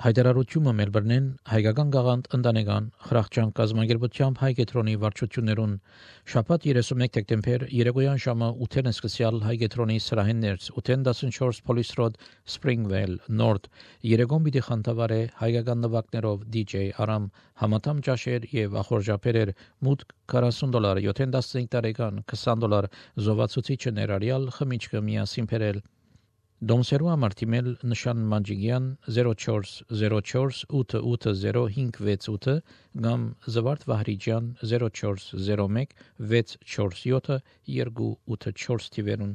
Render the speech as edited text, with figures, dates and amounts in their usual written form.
Հայտարարությունը Մելբուրնեն հայկական գաղանդ ընտանեկան խրախճան կազմակերպությամբ հայ կետրոնի վարչություններուն շաբաթ 31 դեկտեմբեր երեկոյան ժամը 8-ին սկսյալ հայ կետրոնի սրահին ներս 814 Police Road Springvale North երեկոն պիտի խանդավառե հայկական նվագներով DJ Aram համատամ ճաշեր եւ ախորժապերեր մուտք $40 75 տարեկան $20 զովացուցիչը ներառյալ խմիչքը միասին բերել Դոմսերու համար թիմել նշան Մանջիգյան 0404 880 568 կամ Զվարթ Վահրիջյան 0401 647 284 թիվերուն